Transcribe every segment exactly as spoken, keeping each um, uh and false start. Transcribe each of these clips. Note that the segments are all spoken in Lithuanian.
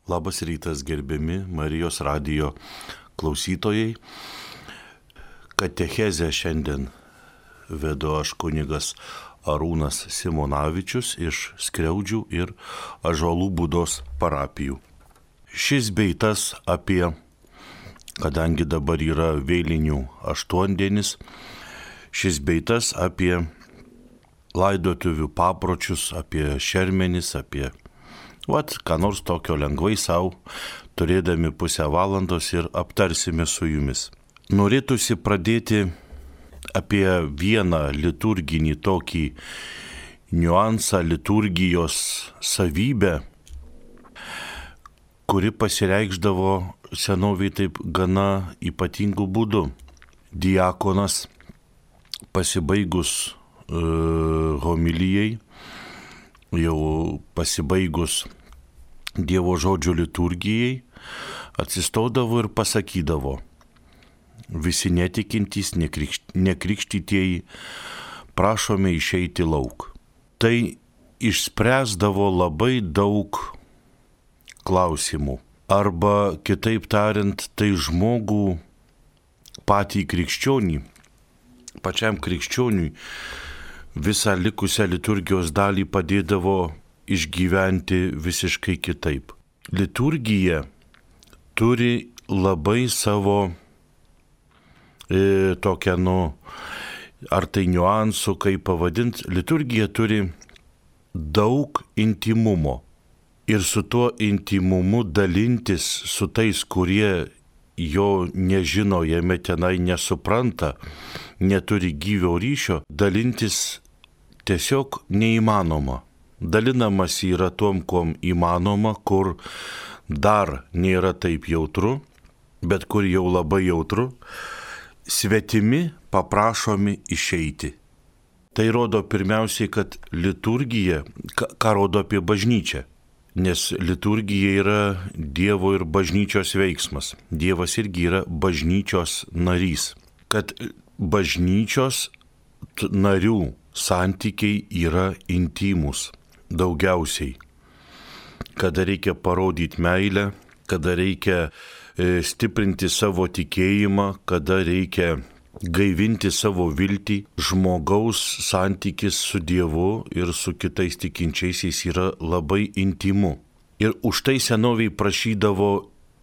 Labas rytas, gerbiami Marijos radijo klausytojai. Katechezę šiandien vedu aš kunigas Arūnas Simonavičius iš Skriaudžių ir Ąžuolų Būdos parapijų. Šis bei tas apie, kadangi dabar yra vėlinių aštuondienis, šis bei tas apie laidotuvių papročius, apie šermenis, apie Vat, ką nors tokio lengvai savo, turėdami pusę valandos ir aptarsime su jumis. Norėtųsi pradėti apie vieną liturginį tokį niuansą, liturgijos savybę, kuri pasireikšdavo senovėj taip gana ypatingų būdų. Diakonas pasibaigus uh, homilijai, jau pasibaigus Dievo žodžio liturgijai, atsistodavo ir pasakydavo: visi netikintys, nekrikštytieji, prašome išeiti lauk. Tai išspręsdavo labai daug klausimų. Arba, kitaip tariant, tai žmogų patį krikščionį, pačiam krikščioniui, visą likusią liturgijos dalį padėdavo išgyventi visiškai kitaip. Liturgija turi labai savo e, tokią, nu, ar tai niuansų, kaip pavadint, liturgija turi daug intimumo. Ir su tuo intimumu dalintis su tais, kurie jo nežino, jame tenai nesupranta, neturi gyvio ryšio, dalintis tiesiog neįmanoma. Dalinamas yra tom, kom įmanoma, kur dar nėra taip jautru, bet kur jau labai jautru, svetimi paprašomi išeiti. Tai rodo pirmiausiai, kad liturgija, ką rodo apie bažnyčią, nes liturgija yra Dievo ir bažnyčios veiksmas. Dievas irgi yra bažnyčios narys. Kad bažnyčios narių santykiai yra intimus. Daugiausiai, kada reikia parodyti meilę, kada reikia e, stiprinti savo tikėjimą, kada reikia gaivinti savo viltį, žmogaus santykis su Dievu ir su kitais tikinčiaisiais yra labai intimu. Ir už tai senoviai prašydavo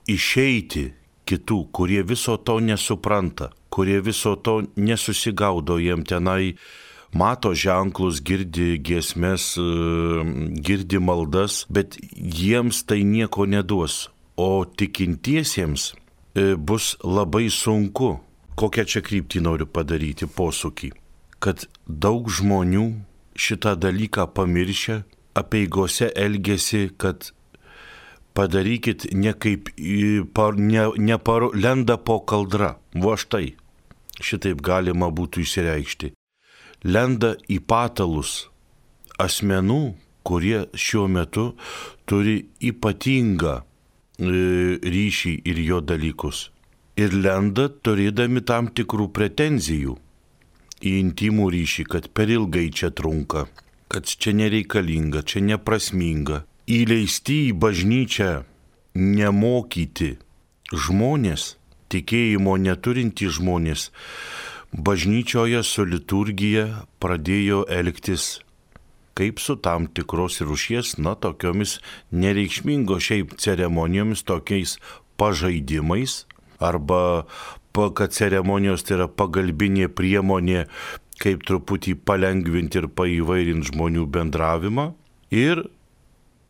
išeiti kitų, kurie viso to nesupranta, kurie viso to nesusigaudo, jiem tenai mato ženklus, girdi giesmes, girdi maldas, bet jiems tai nieko neduos. O tikintiesiems bus labai sunku. Kokią čia kryptį noriu padaryti posūkį? Kad daug žmonių šitą dalyką pamiršę, apeigose elgesi, kad padarykit ne kaip, ne, ne par, lenda po kaldra. Va štai, šitaip galima būtų išsireikšti. Lenda į patalus asmenų, kurie šiuo metu turi ypatingą ryšį ir jo dalykus. Ir lenda turėdami tam tikrų pretenzijų į intimų ryšį, kad per ilgai čia trunka, kad čia nereikalinga, čia neprasminga. Įleisti į bažnyčią nemokyti žmonės, tikėjimo neturintys žmonės, bažnyčioje su liturgija pradėjo elgtis kaip su tam tikros rūšies, na, tokiomis nereikšmingos šiaip ceremonijomis, tokiais pažaidimais, arba, kad ceremonijos tai yra pagalbinė priemonė, kaip truputį palengvinti ir paįvairinti žmonių bendravimą, ir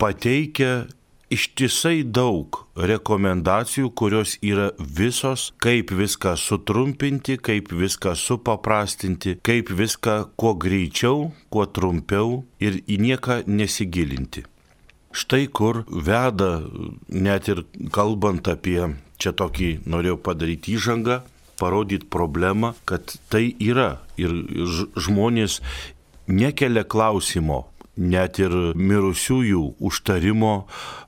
pateikia ištisai daug rekomendacijų, kurios yra visos, kaip viską sutrumpinti, kaip viską supaprastinti, kaip viską kuo greičiau, kuo trumpiau ir į nieką nesigilinti. Štai kur veda, net ir kalbant apie, čia tokį norėjau padaryti įžangą, parodyti problemą, kad tai yra ir žmonės nekelia klausimo, net ir mirusiųjų užtarimo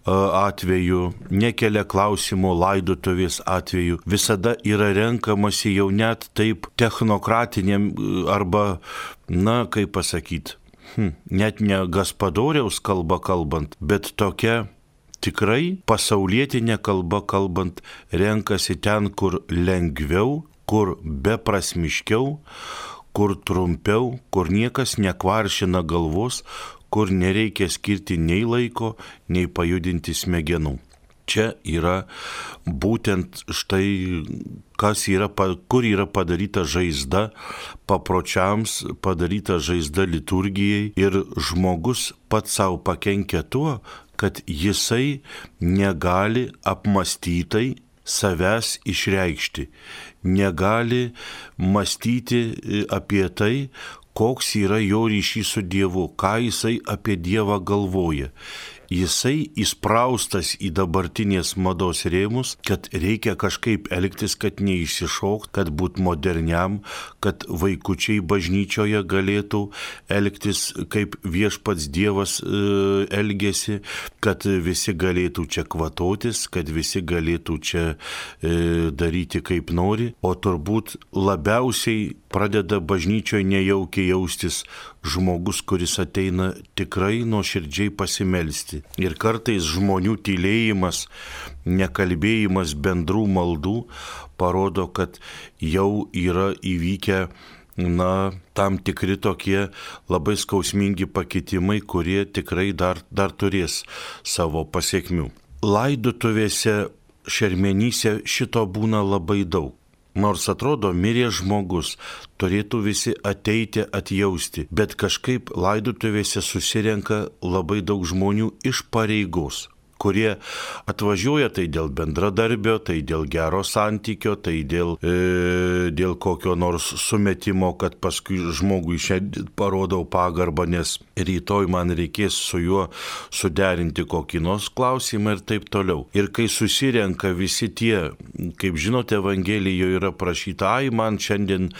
atveju, nekelia klausimo laidotuvės atveju, visada yra renkamasi jau net taip technokratiniam arba, na, kaip pasakyti, hm, net ne gaspadoriaus kalba kalbant, bet tokia tikrai pasaulietinė kalba kalbant renkasi ten, kur lengviau, kur beprasmiškiau, kur trumpiau, kur niekas nekvaršina galvos, kur nereikia skirti nei laiko, nei pajudinti smegenų. Čia yra būtent štai, kas yra, kur yra padaryta žaizda papročiams, padaryta žaizda liturgijai ir žmogus pats savo pakenkia tuo, kad jisai negali apmąstytai savęs išreikšti, negali mąstyti apie tai, koks yra jo ryšys su Dievu, ką jisai apie Dievą galvoja. Jisai įspraustas į dabartinės mados rėmus, kad reikia kažkaip elgtis, kad neišsišokt, kad būt moderniam, kad vaikučiai bažnyčioje galėtų elgtis kaip viešpats Dievas e, elgesi, kad visi galėtų čia kvatotis, kad visi galėtų čia e, daryti kaip nori, o turbūt labiausiai pradeda bažnyčioje nejaukiai jaustis žmogus, kuris ateina tikrai nuoširdžiai pasimelsti. Ir kartais žmonių tylėjimas, nekalbėjimas bendrų maldų parodo, kad jau yra įvykę na, tam tikri tokie labai skausmingi pakitimai, kurie tikrai dar, dar turės savo pasiekmių. Laidotuvėse, šermenyse šito būna labai daug. Nors atrodo, mirė žmogus, turėtų visi ateiti atjausti, bet kažkaip laidotuvėse susirenka labai daug žmonių iš pareigos, kurie atvažiuoja tai dėl bendradarbio, tai dėl gero santykio, tai dėl, e, dėl kokio nors sumetimo, kad paskui žmogui šiandien parodau pagarbą, nes rytoj man reikės su juo suderinti kokį nors klausimą ir taip toliau. Ir kai susirenka visi tie, kaip žinote, Evangelijoje yra prašyta, ai, man šiandien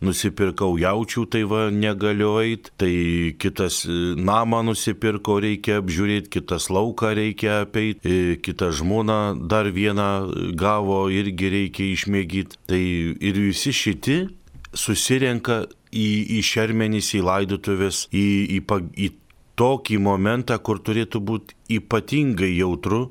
nusipirkau jaučių, tai va negaliu eiti, tai kitas namą nusipirko, reikia apžiūrėti, kitas lauką reikia apeiti, kitą žmoną dar vieną gavo, irgi reikia išmėgyti. Tai ir visi šiti susirenka į, į šermenis, į laidotuvės, į, į, į tokį momentą, kur turėtų būti ypatingai jautru,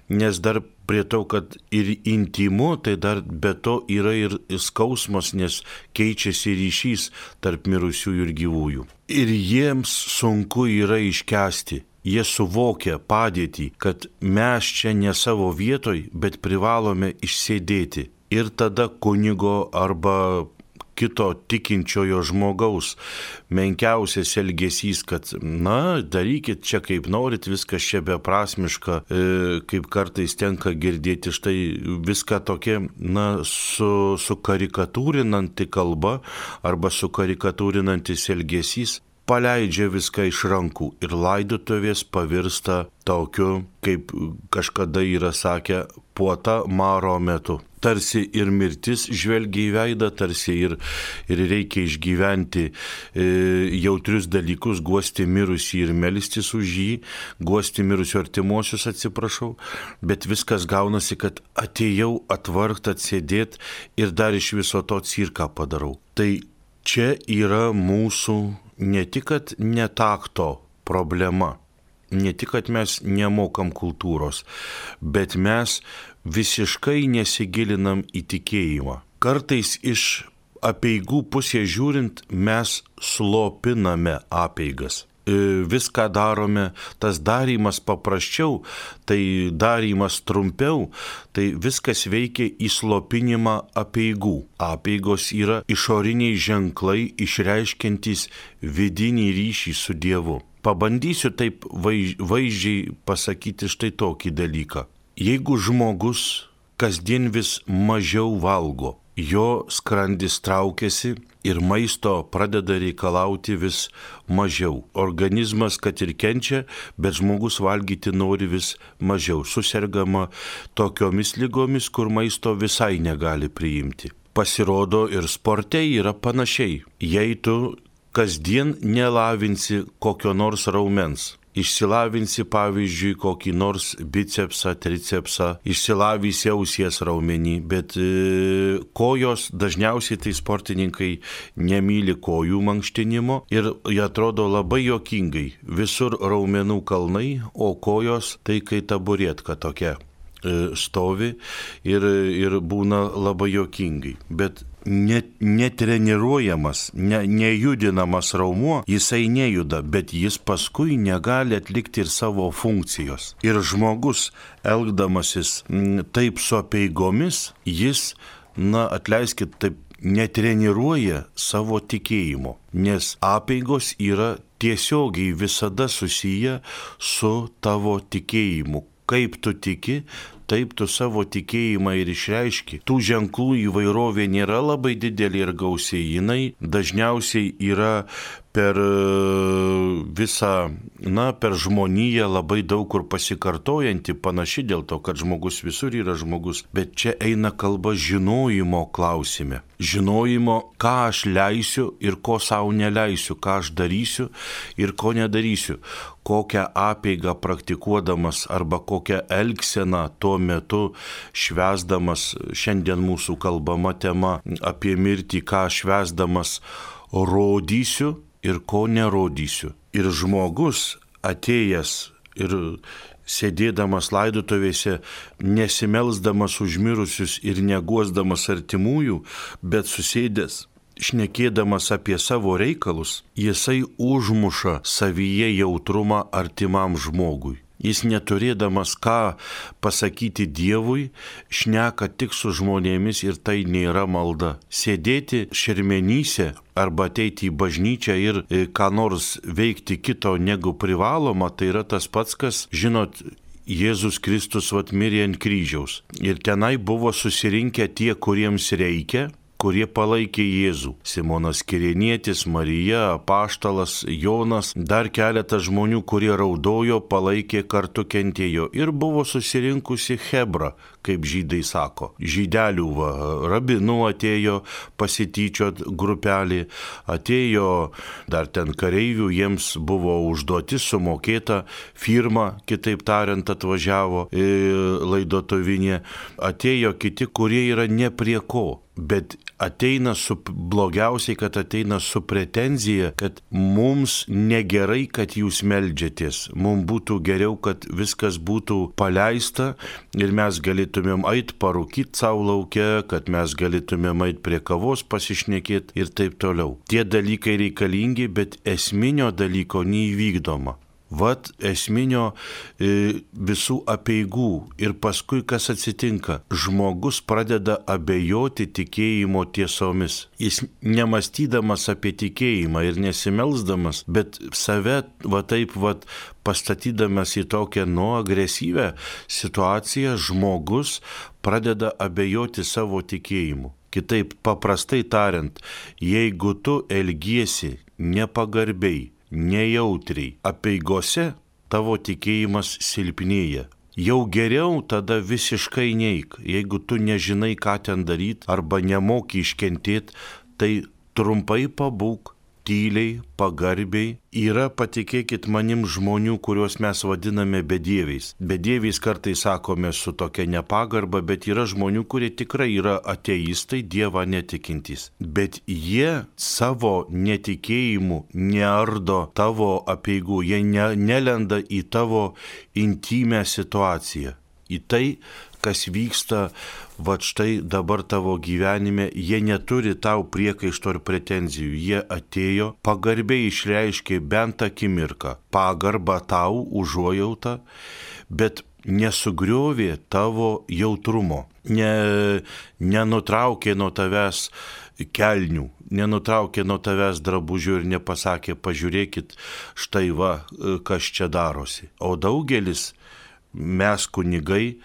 nes dar prie to, kad ir intymu, tai dar be to yra ir skausmas, nes keičiasi ryšys tarp mirusiųjų ir gyvųjų. Ir jiems sunku yra iškęsti. Jie suvokia padėtį, kad mes čia ne savo vietoj, bet privalome išsėdėti. Ir tada kunigo arba kito tikinčiojo žmogaus menkiausias elgesys, kad, na, darykit čia kaip norit, viskas čia beprasmiška, e, kaip kartais tenka girdėti, štai viską tokia, na, su, su karikatūrinanti kalba arba su karikatūrinantis elgesys, paleidžia viską iš rankų ir laidotuvės pavirsta tokiu, kaip kažkada yra sakę, puota maro metu. Tarsi ir mirtis žvelgia į veidą, tarsi ir, ir reikia išgyventi e, jautrius dalykus, guosti mirusį ir melstis už jį, guosti mirusių artimuosius, atsiprašau, bet viskas gaunasi, kad atėjau atvargt, atsėdėt ir dar iš viso to cirką padarau. Tai čia yra mūsų ne tik kad netakto problema, ne tik kad mes nemokam kultūros, bet mes visiškai nesigilinam į tikėjimą. Kartais iš apeigų pusės žiūrint mes slopiname apeigas. Viską darome, tas darymas paprasčiau, tai darymas trumpiau, tai viskas veikia į slopinimą apeigų. Apeigos yra išoriniai ženklai išreiškiantys vidinį ryšį su Dievu. Pabandysiu taip vaizdžiai pasakyti štai tokį dalyką. Jeigu žmogus kasdien vis mažiau valgo, jo skrandis traukiasi ir maisto pradeda reikalauti vis mažiau. Organizmas kad ir kenčia, bet žmogus valgyti nori vis mažiau. Susergama tokiomis ligomis, kur maisto visai negali priimti. Pasirodo ir sporte yra panašiai. Jei tu kasdien nelavinsi kokio nors raumens, išsilavinsi pavyzdžiui kokį nors bicepsą, tricepsą, išsilavysi ausies raumenį, bet e, kojos dažniausiai tai sportininkai nemyli kojų mankštinimo ir jie atrodo labai juokingai. Visur raumenų kalnai, o kojos tai kai taburetka tokia stovi ir, ir būna labai juokingai. Bet net, netreniruojamas, ne, nejudinamas raumuo, jisai nejuda, bet jis paskui negali atlikti ir savo funkcijos. Ir žmogus, elgdamasis m, taip su apeigomis, jis, na, atleiskit, taip netreniruoja savo tikėjimo, nes apeigos yra tiesiogiai visada susiję su tavo tikėjimu. Kaip tu tiki, taip tu savo tikėjimą ir išreiški. Tų ženklų įvairovė nėra labai didelė ir gausiai, jinai dažniausiai yra per visą, na, per žmoniją labai daug kur pasikartojanti, panaši dėl to, kad žmogus visur yra žmogus, bet čia eina kalba žinojimo klausime. Žinojimo, ką aš leisiu ir ko savo neleisiu, ką aš darysiu ir ko nedarysiu, kokią apeigą praktikuodamas arba kokią elgseną tuo metu švęsdamas, šiandien mūsų kalbama tema apie mirtį, ką švęsdamas rodysiu ir ko nerodysiu. Ir žmogus atėjęs ir sėdėdamas laidotuvėse, nesimelsdamas už mirusius ir neguosdamas artimųjų, bet susėdęs, šnekėdamas apie savo reikalus, jisai užmuša savyje jautrumą artimam žmogui. Jis neturėdamas ką pasakyti Dievui, šneka tik su žmonėmis ir tai nėra malda. Sėdėti šermenyse arba ateiti į bažnyčią ir ką nors veikti kito negu privaloma, tai yra tas pats, kas, žinot, Jėzus Kristus vat mirė ant kryžiaus. Ir tenai buvo susirinkę tie, kuriems reikia, kurie palaikė Jėzų. Simonas Kirėnietis, Marija, Apaštalas, Jonas, dar keletas žmonių, kurie raudojo, palaikė, kartu kentėjo. Ir buvo susirinkusi chebra, kaip žydai sako. Žydelių va, rabinų atėjo pasityčiot grupelį, atėjo dar ten kareivių, jiems buvo užduotis sumokėta, firma, kitaip tariant, atvažiavo laidotuvinė, atėjo kiti, kurie yra ne prie ko. Bet ateina su, blogiausiai, kad ateina su pretenzija, kad mums negerai, kad jūs meldžiatės. Mums būtų geriau, kad viskas būtų paleista ir mes galėtumėm ait parūkyti savo lauke, kad mes galėtumėm ait prie kavos pasišnekėti ir taip toliau. Tie dalykai reikalingi, bet esminio dalyko neįvykdoma. Vat esminio e, visų apeigų ir paskui kas atsitinka. Žmogus pradeda abejoti tikėjimo tiesomis. Jis nemastydamas apie tikėjimą ir nesimelsdamas, bet save va taip va pastatydamas į tokią nu agresyvę situaciją, žmogus pradeda abejoti savo tikėjimu. Kitaip paprastai tariant, jeigu tu elgiesi nepagarbiai, nejautriai, apeigose tavo tikėjimas silpnėja. Jau geriau tada visiškai neik. Jeigu tu nežinai, ką ten daryti arba nemoki iškentėti, tai trumpai pabūk, tyliai, pagarbiai. Yra, patikėkit manim, žmonių, kuriuos mes vadiname bedieviais. Bedieviais kartais sakome su tokia nepagarba, bet yra žmonių, kurie tikrai yra ateistai, Dievą netikintys. Bet jie savo netikėjimu neardo tavo apeigų, jie ne, nelenda į tavo intimę situaciją. Į tai, kas vyksta, va štai dabar tavo gyvenime, jie neturi tau priekaišto ir pretenzijų. Jie atėjo, pagarbiai išreiškė bent akimirką pagarbą tau, užuojautą, bet nesugriovė tavo jautrumo, ne, nenutraukė nuo tavęs kelnių, nenutraukė nuo tavęs drabužių ir nepasakė, pažiūrėkit, štai va, kas čia darosi. O daugelis, mes kunigai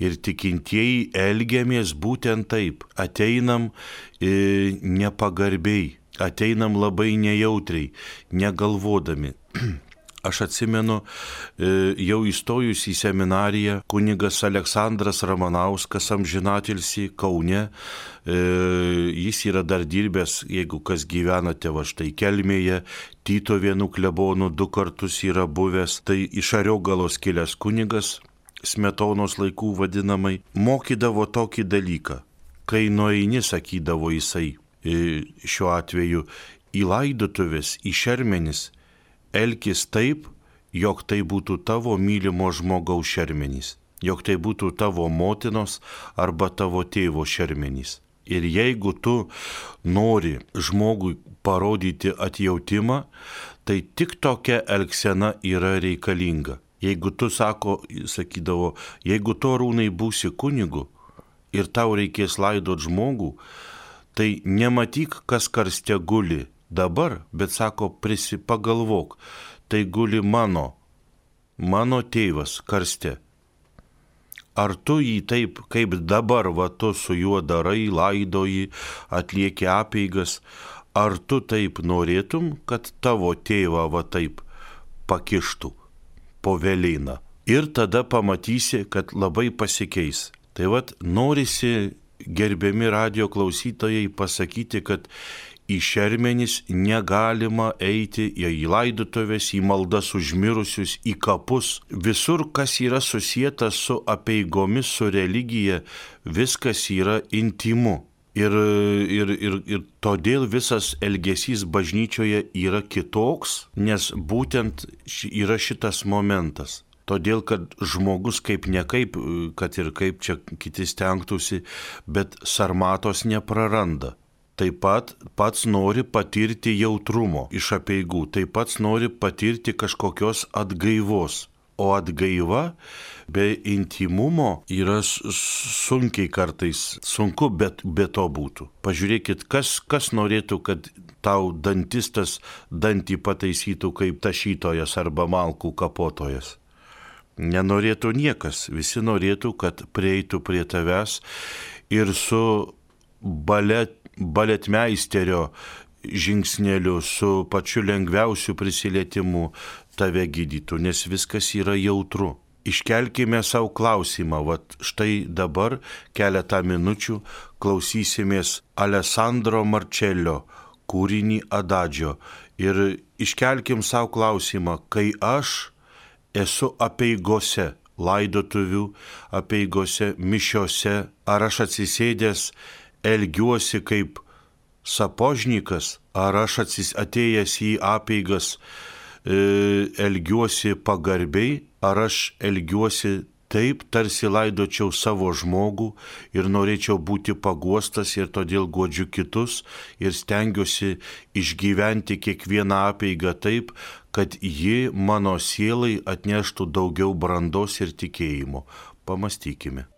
ir tikintieji elgiamės būtent taip. Ateinam e, nepagarbiai, ateinam labai nejautriai, negalvodami. Aš atsimenu, jau įstojus į seminariją, kunigas Aleksandras Ramanauskas amžinatilsį Kaune, jis yra dar dirbęs, jeigu kas gyvenate va štai Kelmėje, Tytuvėnų klebonų du kartus yra buvęs, tai iš Ariogalos kilęs kunigas, Smetonos laikų vadinamai, mokydavo tokį dalyką. Kai nueini, sakydavo jisai, šiuo atveju į laidotuvės, į šermenis, elkis taip, jog tai būtų tavo mylimo žmogaus šermenys, jog tai būtų tavo motinos arba tavo tėvo šermenys. Ir jeigu tu nori žmogui parodyti atjautimą, tai tik tokia elgsena yra reikalinga. Jeigu tu, sako, sakydavo, jeigu tu Arūnai būsi kunigu ir tau reikės laidot žmogų, tai nematyk, kas karste guli dabar, bet sako, prisipagalvok, tai guli mano, mano tėvas karste. Ar tu jį taip, kaip dabar, va tu su juo darai, laidoji, atlieki apeigas, ar tu taip norėtum, kad tavo tėvą va taip pakištų po velėną? Ir tada pamatysi, kad labai pasikeis. Tai vat norisi, gerbiami radijo klausytojai, pasakyti, kad į šermenis negalima eiti, į laidotuvės, į maldas už mirusius, į kapus. Visur, kas yra susijęta su apeigomis, su religija, viskas yra intymu. Ir, ir, ir, ir todėl visas elgesys bažnyčioje yra kitoks, nes būtent yra šitas momentas. Todėl, kad žmogus kaip ne kaip, kad ir kaip čia kiti stengtųsi, bet sarmatos nepraranda. Taip pat pats nori patirti jautrumo iš apeigų, taip pat nori patirti kažkokios atgaivos. O atgaiva be intymumo yra sunkiai kartais, sunku, bet be to būtų. Pažiūrėkit, kas, kas norėtų, kad tau dantistas dantį pataisytų kaip tašytojas arba malkų kapotojas. Nenorėtų niekas, visi norėtų, kad prieitų prie tavęs ir su balet baletmeisterio žingsneliu, su pačiu lengviausiu prisilietimu tave gydytų, nes viskas yra jautru. Iškelkime savo klausimą, vat štai dabar keletą minučių klausysimės Alessandro Marčelio kūrinį Adagio ir iškelkim savo klausimą, kai aš esu apeigose, laidotuvių apeigose, mišiose, ar aš atsisėdęs elgiuosi kaip sapožnikas, ar aš atėjęs į apeigas e, elgiuosi pagarbiai, ar aš elgiuosi taip, tarsi laidočiau savo žmogų ir norėčiau būti paguostas ir todėl guodžiu kitus ir stengiuosi išgyventi kiekvieną apeigą taip, kad ji mano sielai atneštų daugiau brandos ir tikėjimo. Pamastykime.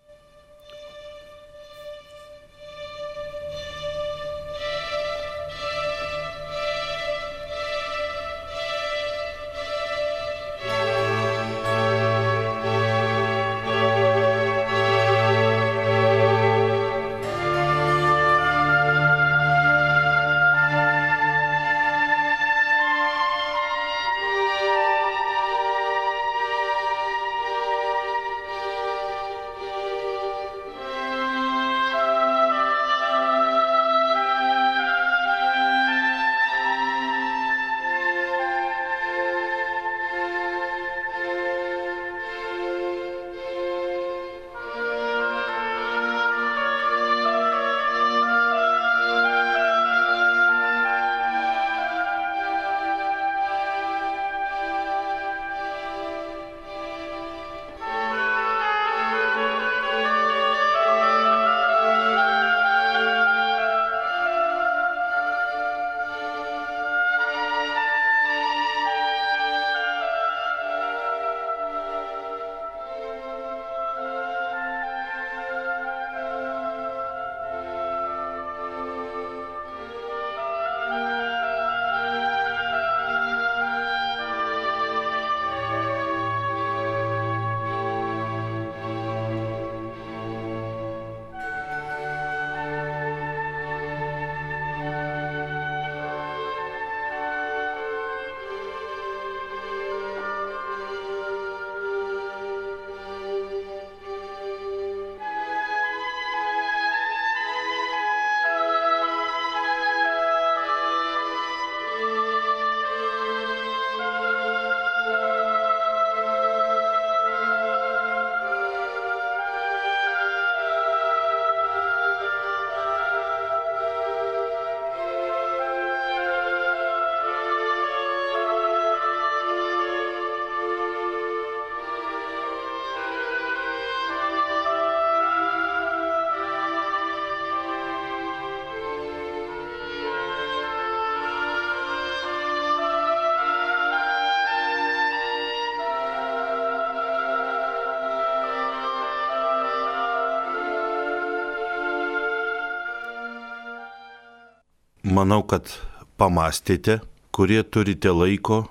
manau, kad pamastėte, kurie turite laiko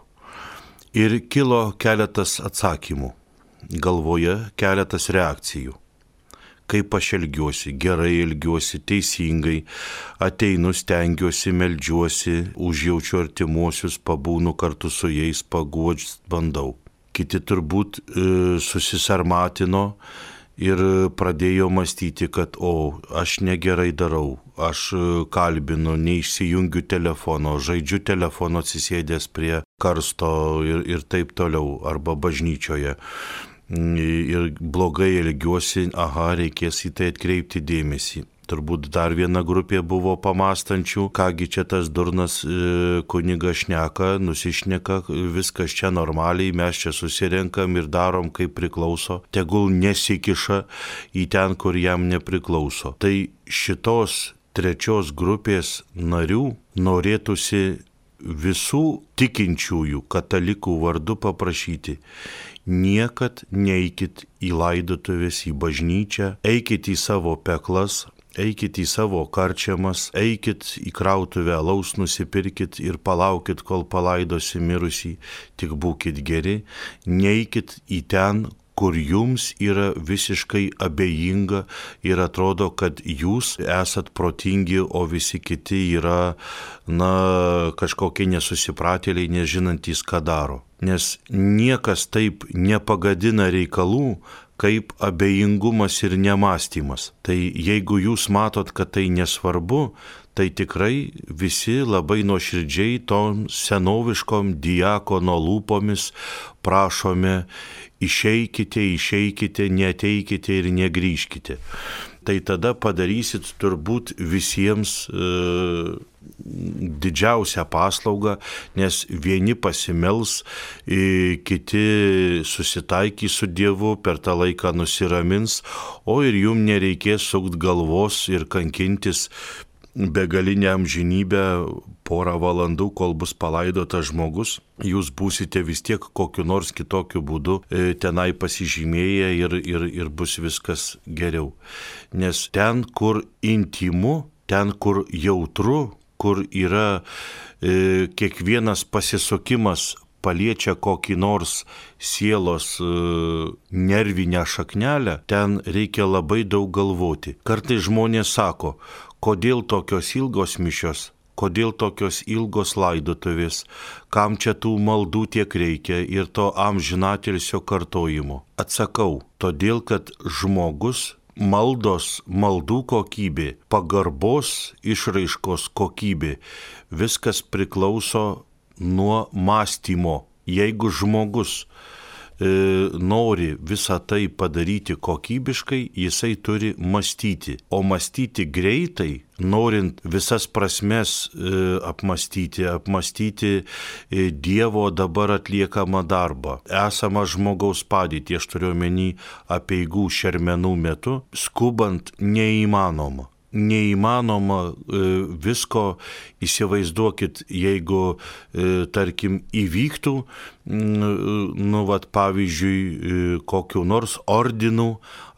ir kilo keletas atsakymų, galvoje keletas reakcijų. Kaip aš elgiuosi, gerai elgiuosi, teisingai, ateinu, stengiuosi, meldžiuosi, užjaučiu artimuosius, pabūnu kartu su jais, paguodžiu, bandau. Kiti turbūt e, susisarmatino ir pradėjo mąstyti, kad o, aš negerai darau, aš kalbinu, neišsijungiu telefono, žaidžiu telefono atsisėdęs prie karsto ir, ir taip toliau, arba bažnyčioje. Ir blogai elgiuosi, aha, reikės į tai atkreipti dėmesį. Turbūt dar viena grupė buvo pamastančių, kągi čia tas durnas e, kunigas šneka, nusišneka, viskas čia normaliai, mes čia susirenkam ir darom kaip priklauso, tegul nesikiša į ten, kur jam nepriklauso. Tai šitos trečios grupės narių norėtųsi visų tikinčiųjų katalikų vardu paprašyti: niekad neikit į laidotuvės, į bažnyčią, eikit į savo peklas, eikit į savo karčiamas, eikit į krautuvę alaus nusipirkit ir palaukit, kol palaidosi mirusį, tik būkit geri, neikit į ten, kur jums yra visiškai abejinga ir atrodo, kad jūs esat protingi, o visi kiti yra, na, kažkokie nesusipratėliai, nežinantys, ką daro. Nes niekas taip nepagadina reikalų, kaip abejingumas ir nemąstymas. Tai jeigu jūs matot, kad tai nesvarbu, tai tikrai visi labai nuoširdžiai tom senoviškom diakono lūpomis prašome: išeikite, išeikite, neateikite ir negrįžkite. Tai tada padarysit turbūt visiems e, didžiausią paslaugą, nes vieni pasimels, e, kiti susitaikys su Dievu, per tą laiką nusiramins, o ir jum nereikės sukt galvos ir kankintis begalinę amžinybę porą valandų, kol bus palaidotas žmogus. Jūs būsite vis tiek kokiu nors kitokiu būdu e, tenai pasižymėję ir, ir, ir bus viskas geriau. Nes ten, kur intymu, ten, kur jautru, kur yra e, kiekvienas pasisukimas paliečia kokį nors sielos e, nervinę šaknelę, ten reikia labai daug galvoti. Kartais žmonės sako: kodėl tokios ilgos mišios, kodėl tokios ilgos laidotuvės, kam čia tų maldų tiek reikia ir to amžinatilsio kartojimo. Atsakau, todėl kad žmogus, maldos, maldų kokybė, pagarbos išraiškos kokybė, viskas priklauso nuo mąstymo. Jeigu žmogus e, nori visą tai padaryti kokybiškai, jisai turi mąstyti. O mąstyti greitai, norint visas prasmes e, apmąstyti, apmąstyti e, Dievo dabar atliekamą darbą, esamą žmogaus padėtį, aš turiu omeny apeigų šermenų metu, skubant neįmanoma. Neįmanoma e, visko, įsivaizduokit, jeigu, e, tarkim, įvyktų, nu, vat, pavyzdžiui, e, kokiu nors ordinų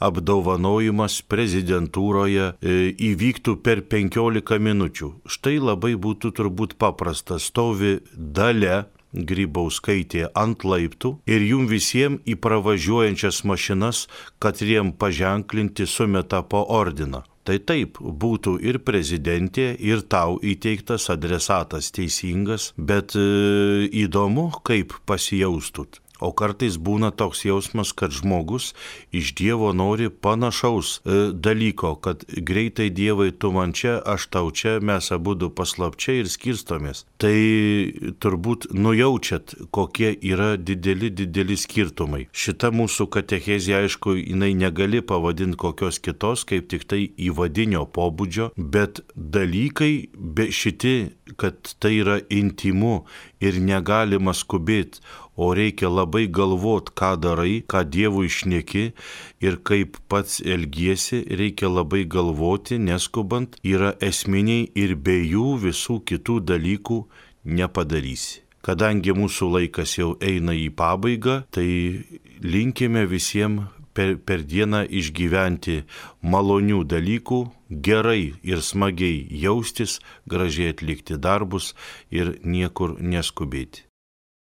apdovanojimas prezidentūroje, e, įvyktų per penkiolika minučių. Štai labai būtų turbūt paprasta, stovi Dalia Grybauskaitė ant laiptų ir jum visiems į pravažiuojančias mašinas, kad jiem paženklinti, sumeta po ordiną. Tai taip, būtų ir prezidentė, ir tau įteiktas adresatas teisingas, bet e, įdomu, kaip pasijaustut. O kartais būna toks jausmas, kad žmogus iš Dievo nori panašaus e, dalyko, kad greitai Dievai tu man čia, aš tau čia, mes abudu paslapčiai ir skirstomės. Tai turbūt nujaučiat, kokie yra dideli, dideli skirtumai. Šita mūsų katechezė, aišku, jinai negali pavadinti kokios kitos, kaip tik tai įvadinio pobūdžio, bet dalykai be šiti, kad tai yra intymu ir negalima skubėti, o reikia labai galvot, ką darai, ką Dievui šneki ir kaip pats elgiesi, reikia labai galvoti, neskubant, yra esminiai ir be jų visų kitų dalykų nepadarysi. Kadangi mūsų laikas jau eina į pabaigą, tai linkime visiems per, per dieną išgyventi malonių dalykų, gerai ir smagiai jaustis, gražiai atlikti darbus ir niekur neskubėti.